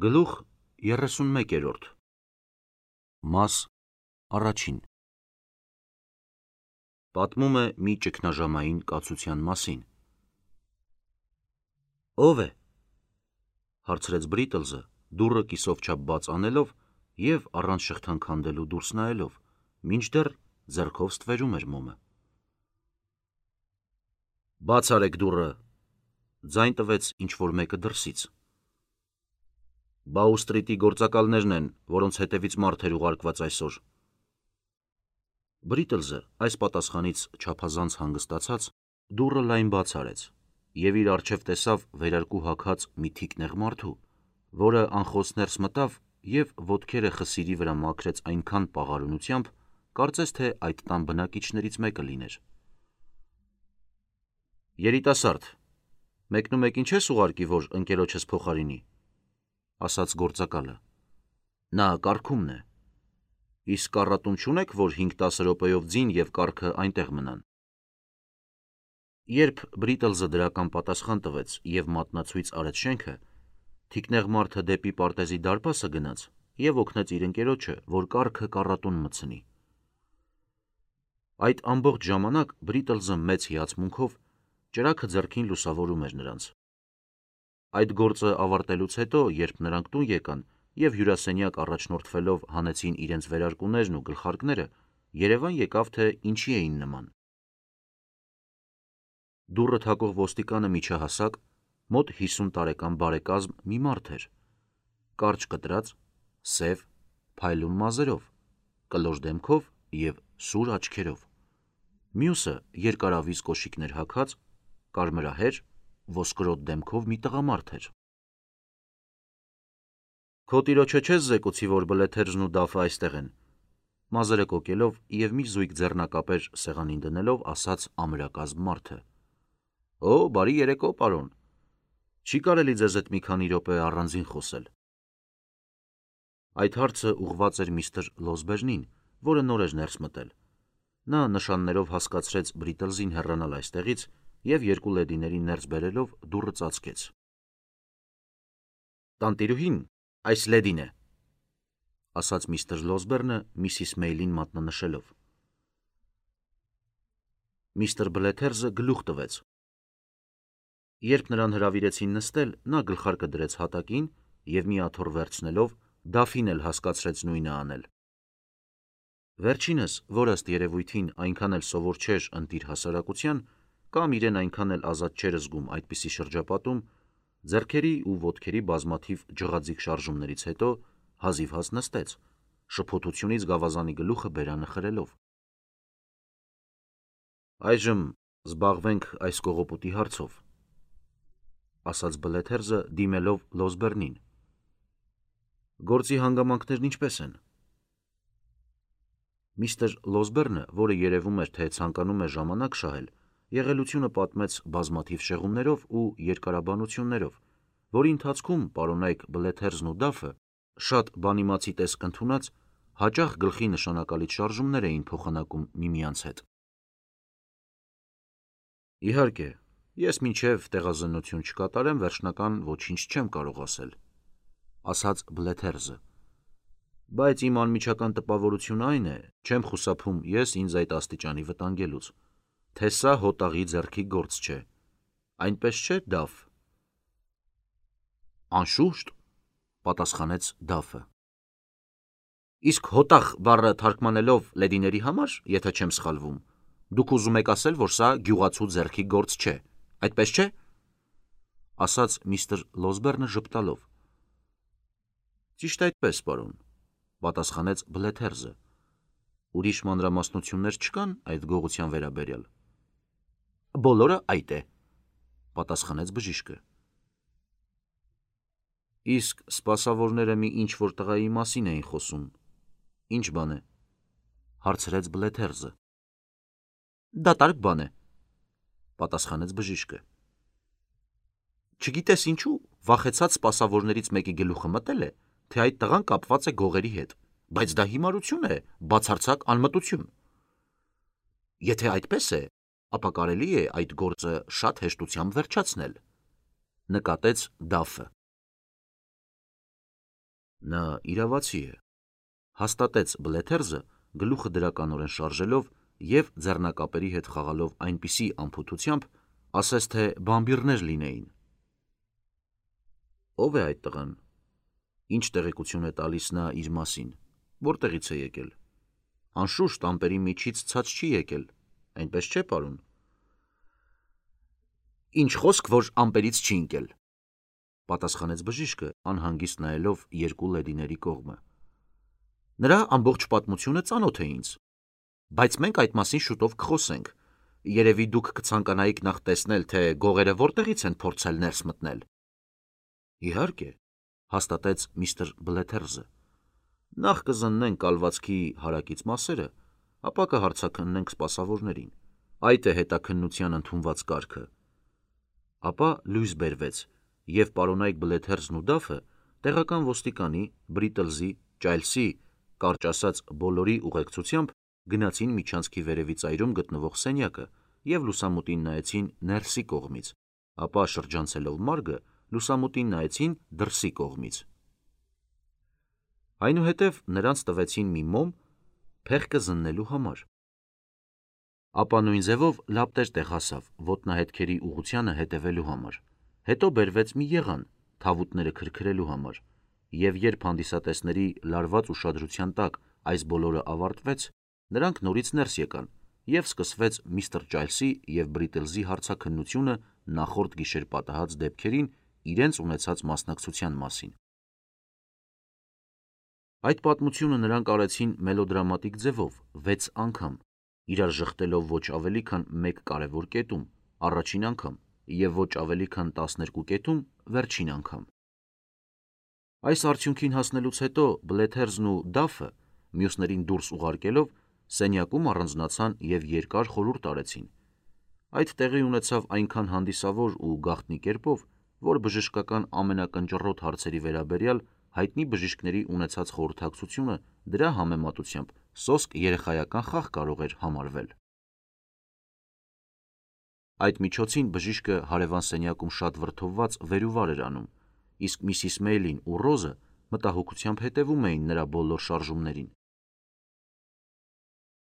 Գլուխ 31 Մաս առաջին Պատմում է մի ճգնաժամային կացության մասին։ Ո՞վ է, հարցրեց Բրիտլզը, դուռը կիսով չափ բաց անելով և առանց շղթան քանդելու դուրս նայելով, մինչդեռ ձեռքով ստվերում էր մոմը։ Բաց արեք դուռը, ձայն տվեց ինչ-որ մեկը դրսից։ Բաու սթրիթի գործակալներն են, որոնց հետևից մարդ էր ուղարկված այսօր։ Բրիտլզը այս պատասխանից չափազանց հանգստացած դուռը լայն բաց արեց և իր առջև տեսավ վերարկու հագած մի թիկնեղ մարդու, որը անխոս ներս մտավ և ոտքերը խսիրի վրա մաքրեց այնքան պաղարունությամբ, կարծես թե այդ տան բնակիչներից մեկը լիներ։ Երիտասարդ, մեկնումեկին չես ուղարկի, որ ընկերոջս փոխարինի, ասաց գործակալը։ Նա կարգումն է։ Իսկ կառատուն չունեք, որ 5-10 րոպեով ձին և կառքը այնտեղ մնան։ Երբ Բրիտլզը դրական պատասխան տվեց և մատնացույց արեց շենքը, թիկնեղ մարդը դեպի պարտեզի դարպասը գնաց և օգնեց իր ընկերոջը, որ կառքը կառատուն մտցնի։ Այդ ամբողջ ժամանակ Բրիտլզը մեծ հիացմունքով ճրագը ձեռքին լուսավորում էր նրանց։ Այդ գործը ավարտելուց հետո, երբ նրանք տուն եկան և հյուրասենյակ առաջնորդվելով հանեցին իրենց վերարկուներն ու գլխարկները, երևան եկավ, թե ինչի էին նման։ Դուռը թակող ոստիկանը միջահասակ, մոտ 50 տարեկան բարեկազմ մի մարդ էր։ Կարճ կտրած, սև, փայլուն մազերով, կլոր դեմքով և սուր աչքերով։ Մյուսը երկարավիզ կոշիկներ հագած, կարմրահեր, ոսկրոտ դեմքով մի տղամարդ էր։ Քո տիրոջը չես զեկուցի, որ Բլեթերզն ու Դաֆը այստեղ են, մազերը կոկելով և մի զույգ ձեռնակապեր սեղանին դնելով ասաց ամրակազմ մարդը։ Օ, բարի երեկո, պարոն։ Չի կարելի ձեզ հետ մի քանի րոպե առանձին խոսել։ Այդ հարցը ուղղված էր միստր Լոսբերնին, որը նոր էր ներս մտել։ Նա նշաններով հասկացրեց Բրիտլզին հեռանալ այստեղից և երկու լեդիներին ներս բերելով դուռը ծածկեց։ Տանտիրուհին այս լեդին է, ասաց միստր Լոսբերնը միսիս Մեյլին մատնանշելով։ Միստր Բլեթերզը գլուխ տվեց։ Երբ նրան հրավիրեցին նստել, նա գլխարկը դրեց հատակին և մի աթոռ վերցնելով Դաֆին էլ հասկացրեց նույնը անել։ Վերջինս, որ ըստ երևույթին այնքան էլ սովոր չէր ընտիր հասարակության, կամ իրեն այնքան էլ ազատ չէր զգում այդպիսի շրջապատում, ձեռքերի ու ոտքերի բազմաթիվ ջղաձիգ շարժումներից հետո հազիվհազ նստեց, շփոթությունից գավազանի գլուխը բերանը խրելով։ Այժմ զբաղվենք այս կողոպուտի հարցով, ասաց Բլեթերզը դիմելով Լոսբերնին։ Գործի հանգամանքներն ինչպե՞ս են։ Միստր Լոսբերնը, որը երևում էր, թե ցանկանում է ժամանակ շահել, եղելությունը պատմեց բազմաթիվ շեղումներով ու երկարաբանություններով, որի ընթացքում պարոնայք Բլեթերզն ու Դաֆը, շատ բանիմացի տեսք ընդունած, հաճախ գլխի նշանակալից շարժումներ էին փոխանակում միմյանց հետ։ Իհարկե, ես մինչև տեղազննություն չկատարեմ, վերջնական ոչինչ չեմ կարող ասել, ասաց Բլեթերզը, բայց իմ անմիջական տպավորությունն այն է, չեմ խուսափում ես ինձ այդ աստիճանի վտանգելուց, թե սա հոտաղի ձեռքի գործ չէ, այնպես չէ, Դաֆ։ Անշուշտ, պատասխանեց Դաֆը։ Իսկ հոտաղ բառը թարգմանելով լեդիների համար, եթե չեմ սխալվում, դուք ուզում եք ասել, որ սա գյուղացու ձեռքի գործ չէ, այդպես չէ, ասաց միստր Լոսբերնը ժպտալով։ Ճիշտ այդպես, պարոն, պատասխանեց Բլեթերզը։ Ուրիշ մանրամասնություններ չկան այդ գողության վերաբերյալ։ Բոլորը այդ է, պատասխանեց բժիշկը։ Իսկ սպասավորները մի ինչ-որ տղայի մասին էին խոսում, ինչ բան է, հարցրեց Բլեթերզը։ Դատարկ բան է, պատասխանեց բժիշկը։ Չգիտես ինչու, վախեցած սպասավորներից մեկի գլուխը մտել է, թե այդ տղան կապված է գողերի հետ, բայց դա հիմարություն է, բացարձակ անմտություն։ Եթե այդպես է, ապա կարելի է այդ գործը շատ հեշտությամբ վերջացնել, նկատեց Դաֆը։ Նա իրավացի է, հաստատեց Բլեթերզը գլուխը դրականորեն շարժելով և ձեռնակապերի հետ խաղալով այնպիսի անփութությամբ, ասես թե բամբիռներ լինեին։ Ո՞վ է այդ տղան։ Ինչ տեղեկություն է տալիս նա իր մասին, որտեղից է եկել։ Անշուշտ ամպերի միջից ցած չի եկել, այնպես չէ, պարոն։ Ինչ խոսք, որ ամպերից չի ընկել, պատասխանեց բժիշկը, անհանգիստ նայելով երկու լեդիների կողմը։ Նրա ամբողջ պատմությունը ծանոթ է ինձ, բայց մենք այդ մասին շուտով կխոսենք։ Երևի դուք կցանկանայիք նախ տեսնել, թե գողերը որտեղից են փորձել ներս մտնել։ Իհարկե, հաստատեց միստր Բլեթերզը։ Նախ կզննենք կալվածքի հարակից մասերը, ապա կհարցաքննենք սպասավորներին։ Այդ է հետաքննության ընդունված կարգը։ Ապա լույս բերվեց, և պարոնայք Բլեթերզն ու Դաֆը տեղական ոստիկանի, Բրիտլզի, Ճայլսի, կարճ ասած բոլորի ուղեկցությամբ գնացին միջանցքի վերևի ծայրում գտնվող սենյակը և լուսամուտին նայեցին ներսի կողմից, ապա շրջանցելով մարգը, լուսամուտին նայեցին դրսի կողմից։ Այնուհետև նրանց տվեցին մի մոմ փեղկը զննելու համար։ Ապա նույն ձևով լապտեր տեղասավ ոտնահետքերի ուղղությանը հետևելու համար, հետո բերվեց մի եղան թավուտները քրքրելու համար, և երբ հանդիսատեսների լարված ուշադրության տակ այս բոլորը ավարտվեց, նրանք նորից ներս եկան, և սկսվեց միստր Ճայլսի և Բրիտլզի հարցաքննությունը նախորդ գիշեր պատահած դեպքերին իրենց ունեցած մասնակցության մասին։ Այդ պատմությունը նրանք արեցին մելոդրամատիկ ձևով 6 անգամ, իրար ժխտելով ոչ ավելի քան մեկ կարևոր կետում, առաջին անգամ, և ոչ ավելի քան 12 կետում, վերջին անգամ։ Այս արդյունքին հասնելուց հետո Բլեթերզն ու Դաֆը, մյուսներին դուրս ուղարկելով, սենյակում առանձնացան և երկար խորհուրդ արեցին։ Այդ տեղի ունեցավ այնքան հանդիսավոր ու գաղտնի կերպով, որ բժշկական ամենակնճռոտ հարցերի վերաբերյալ հայտնի բժիշկների ունեցած խորհրդակցությունը դրա համեմատությամբ սոսկ երեխայական խաղ կարող էր համարվել։ Այդ միջոցին բժիշկը հարևան սենյակում շատ վրդովված վեր ու վար էր անում, իսկ Միսիս Մեյլին ու Ռոզը մտահոգությամբ հետևում էին նրա բոլոր շարժումներին։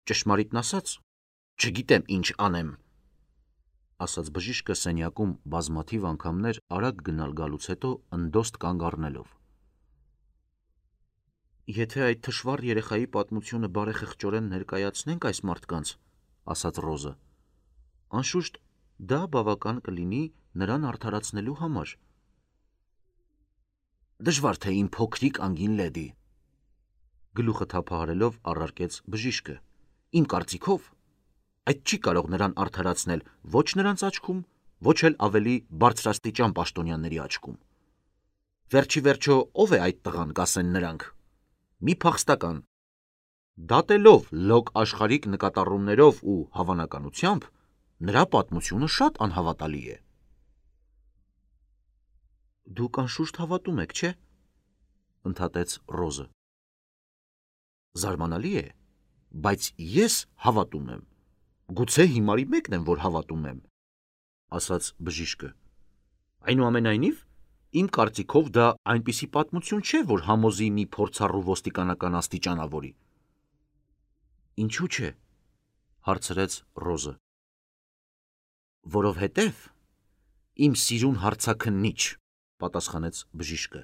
Ճշմարիտն ասած, չգիտեմ ինչ անեմ, ասաց բժիշկը սենյակում բազմաթիվ անգամներ արագ գնալ գալուց հետո ընդոստ կանգ առնելով։ Եթե այդ թշվառ երեխայի պատմությունը բարեխղճորեն ներկայացնենք այս մարդկանց, ասաց Ռոզը, անշուշտ դա բավական կլինի նրան արդարացնելու համար։ Դժվար թե իմ փոքրիկ անգին լեդի, գլուխը թափահարելով առարկեց բժիշկը, իմ կարծիքով այդ չի կարող նրան արդարացնել ոչ նրանց աչքում, ոչ էլ ավելի բարձրաստիճան պաշտոնյաների աչքում։ Վերջի վերջո ով է այդ տղան, կասեն նրանք։ Մի փախստական։ Դատելով լոկ աշխարհիկ նկատառումներով ու հավանականությամբ, նրա պատմությունը շատ անհավատալի է։ Դուք անշուշտ հավատում եք, չէ՞, ընդհատեց Ռոզը։ Զարմանալի է, բայց ես հավատում եմ։ Գուցե հիմարի մեկն եմ, որ հավատում եմ, ասաց բժիշկը։ Այնուամենայնիվ, իմ կարծիքով դա այնպիսի պատմություն չէ, որ համոզի մի փորձառու ոստիկանական աստիճանավորի։ Ինչու՞ չէ, հարցրեց Ռոզը։ Որովհետև իմ սիրուն հարցաքննիչ, պատասխանեց բժիշկը,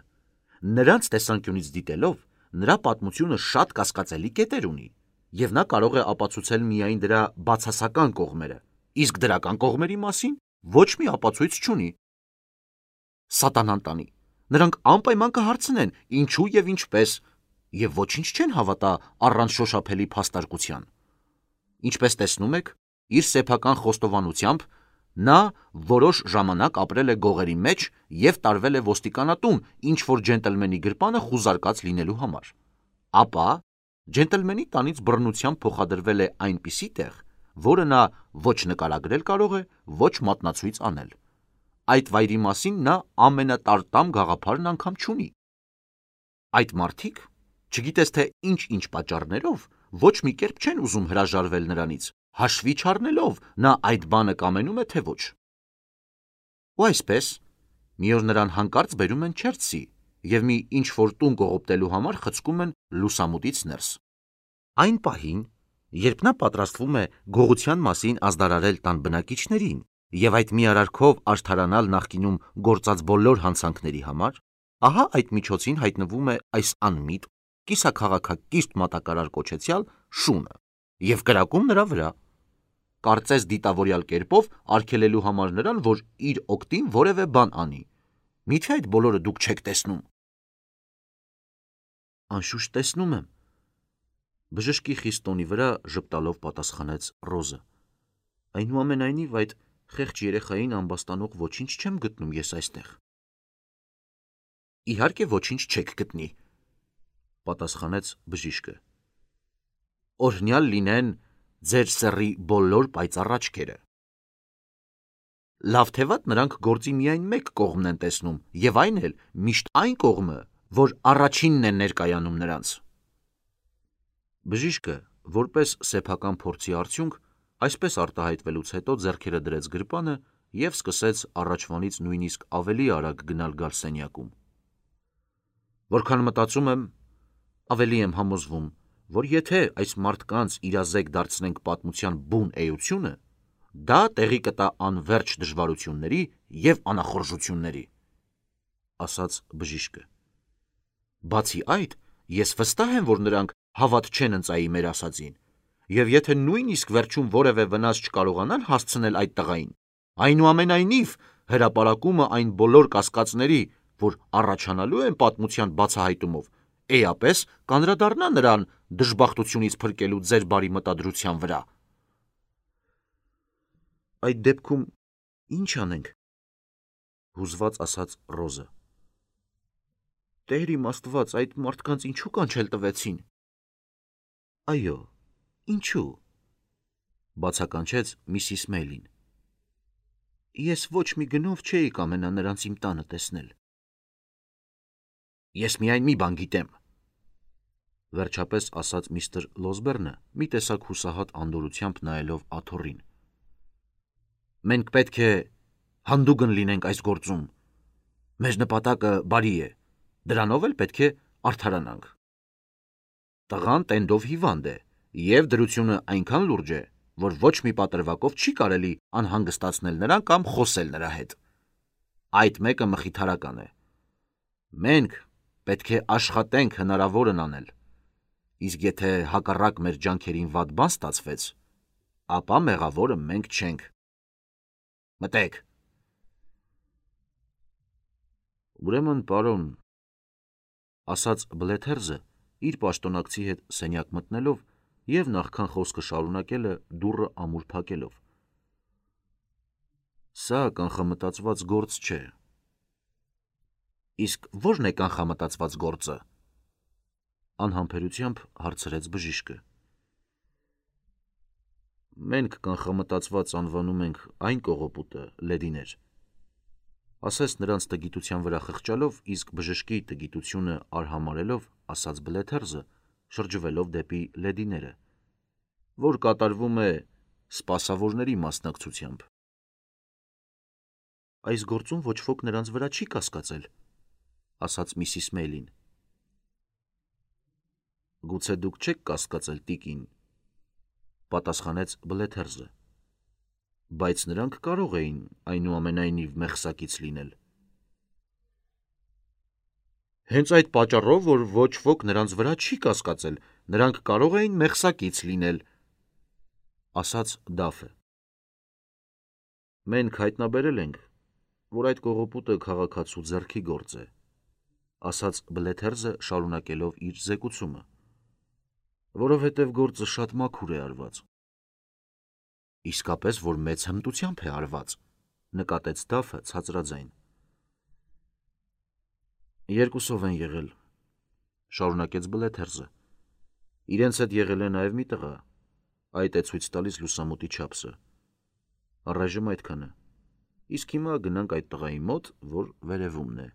նրանց տեսանկյունից դիտելով, նրա պատմությունը շատ կասկածելի կետեր ունի, և նա կարող է ապացուցել միայն դրա բացասական կողմերը, իսկ դրական կողմերի մասին ոչ մի ապացույց չունի։ Սատանան տանի, նրանք անպայման կհարցնեն ինչու և ինչպես, և ոչինչ չեն հավատա առանց շոշափելի փաստարկության։ Ինչպես տեսնում եք, իր սեփական խոստովանությամբ նա որոշ ժամանակ ապրել է գողերի մեջ և տարվել է ոստիկանատուն ինչ-որ ջենտլմենի գրպանը խուզարկած լինելու համար։ Ապա ջենտլմենի տանից բռնությամբ փոխադրվել է այնպիսի տեղ, որը նա ոչ նկարագրել կարող է, ոչ մատնացույց անել։ Այդ վայրի մասին նա ամենատարտամ գաղափարն անգամ չունի։ Այդ մարդիկ, չգիտես թե ինչ-ինչ պատճառներով, ոչ մի կերպ չեն ուզում հրաժարվել նրանից, հաշվի չառնելով նա այդ բանը կամենում է, թե ոչ։ Ու այսպես, մի օր նրան հանկարծ բերում են Չերցի, և մի ինչ-որ տուն կողոպտելու համար խցկում են լուսամուտից ներս։ Այն պահին, երբ նա պատրաստվում է գողության մասին ազդարարել տան բնակիչներին և այդ մի արարքով արդարանալ նախկինում գործած բոլոր հանցանքների համար, ահա այդ միջոցին հայտնվում է այս անմիտ, կիսաքաղաքակիրթ մատակարար կոչեցյալ շունը և կրակում նրա վրա, կարծես դիտավորյալ կերպով արգելելու համար նրան, որ իր օգտին որևէ բան անի։ Միթե այդ բոլորը դուք չեք տեսնում։ Անշուշտ տեսնում եմ, բժշկի խիստ տոնի վրա ժպտալով պատասխանեց Ռոզը։ Այնուամենայնիվ այդ խեղճ երեխային ամբաստանող ոչինչ չեմ գտնում ես այստեղ։ Իհարկե ոչինչ չեք գտնի, պատասխանեց բժիշկը։ Օրհնյալ լինեն ձեր սեռի բոլոր պայծառ աչքերը։ Լավ թե վատ նրանք գործի միայն մեկ կողմն են տեսնում, և այն էլ միշտ այն կողմը, որ առաջինն է ներկայանում նրանց։ Բժիշկը, որպես սեփական փորձի արդյունք, այսպես արտահայտվելուց հետո ձեռքերը դրեց գրպանը և սկսեց առաջվանից նույնիսկ ավելի արագ գնալ-գալ սենյակում։ Որքան մտածում եմ, ավելի եմ համոզվում, որ եթե այս մարդկանց իրազեկ դարձնենք պատմության բուն էությունը, դա տեղի կտա անվերջ դժվարությունների և անախորժությունների, ասաց բժիշկը։ Բացի այդ, ես վստահ եմ, որ նրանք հավատ չեն ընծայի մեր ասածին, և եթե նույնիսկ վերջում որևէ վնաս չկարողանան հասցնել այդ տղային, այնուամենայնիվ հրապարակումը այն բոլոր կասկածների, որ առաջանալու են պատմության բացահայտումով, էապես կանդրադառնա նրան դժբախտությունից փրկելու ձեր բարի մտադրության վրա։ Այդ դեպքում ի՞նչ անենք, հուզված ասաց Ռոզը։ Տեր իմ Աստված, այդ մարդկանց ինչու կանչել տվեցին։ Այո, ինչու, բացականչեց Միսիս Մեյլին։ Ես ոչ մի գնով չէի կամենա նրանց իմ տանը տեսնել։ Ես միայն մի բան գիտեմ, վերջապես ասաց միստր Լոսբերնը, մի տեսակ հուսահատ անդորրությամբ նայելով աթոռին։ Մենք պետք է հանդուգն լինենք այս գործում։ Մեր նպատակը բարի է, դրանով էլ պետք է արդարանանք։ Տղան տենդով հիվանդ է, և դրությունը այնքան լուրջ է, որ ոչ մի պատրվակով չի կարելի անհանգստացնել նրան կամ խոսել նրա հետ։ Այդ մեկը մխիթարական է։ Մենք պետք է աշխատենք հնարավորն անել, իսկ եթե հակառակ մեր ջանքերին վատ բան ստացվեց, ապա մեղավորը մենք չենք։ Մտեք։ Ուրեմն, պարոն, ասաց Բլեթերզը, իր պաշտոնակցի հետ սենյակ մտնելով և նախքան խոսքը շարունակելը դուռը ամուր փակելով։ Սա կանխամտածված գործ չէ։ Իսկ ո՞րն է կանխամտածված գործը, անհամբերությամբ հարցրեց բժիշկը։ Մենք կանխամտածված անվանում ենք այն կողոպուտը, լեդիներ, ասես նրանց տգիտության վրա խղճալով, իսկ բժշկի տգիտությունը արհամարհելով, ասաց Բլեթերզը, շրջվելով դեպի լեդիները, որ կատարվում է սպասավորների մասնակցությամբ։ Այս գործում ոչ ոք նրանց վրա չի կասկածել, ասաց Միսիս Մեյլին։ Գուցե դուք չեք կասկածել, տիկին, պատասխանեց Բլեթերզը, բայց նրանք կարող էին այնուամենայնիվ մեղսակից լինել։ Հենց այդ պատճառով, որ ոչ ոք նրանց վրա չի կասկածել, նրանք կարող էին մեղսակից լինել, ասաց Դաֆը։ Մենք հայտնաբերել ենք, որ այդ կողոպուտը քաղաքացու ձեռքի գործ է, ասաց Բլեթերզը շարունակելով իր զեկուցումը, որովհետև գործը շատ մաքուր է արված։ Իսկապես, որ մեծ հմտությամբ է արված, նկատեց Դաֆը ցածրաձայն։ Երկուսով են եղել, շարունակեց Բլեթերզը։ Իրենց հետ եղել է նաև մի տղա, այդ է ցույց տալիս լուսամուտի չափսը։ Առայժմ այդքանը, իսկ հիմա գնանք այդ տղայի մոտ, որ վերևումն է։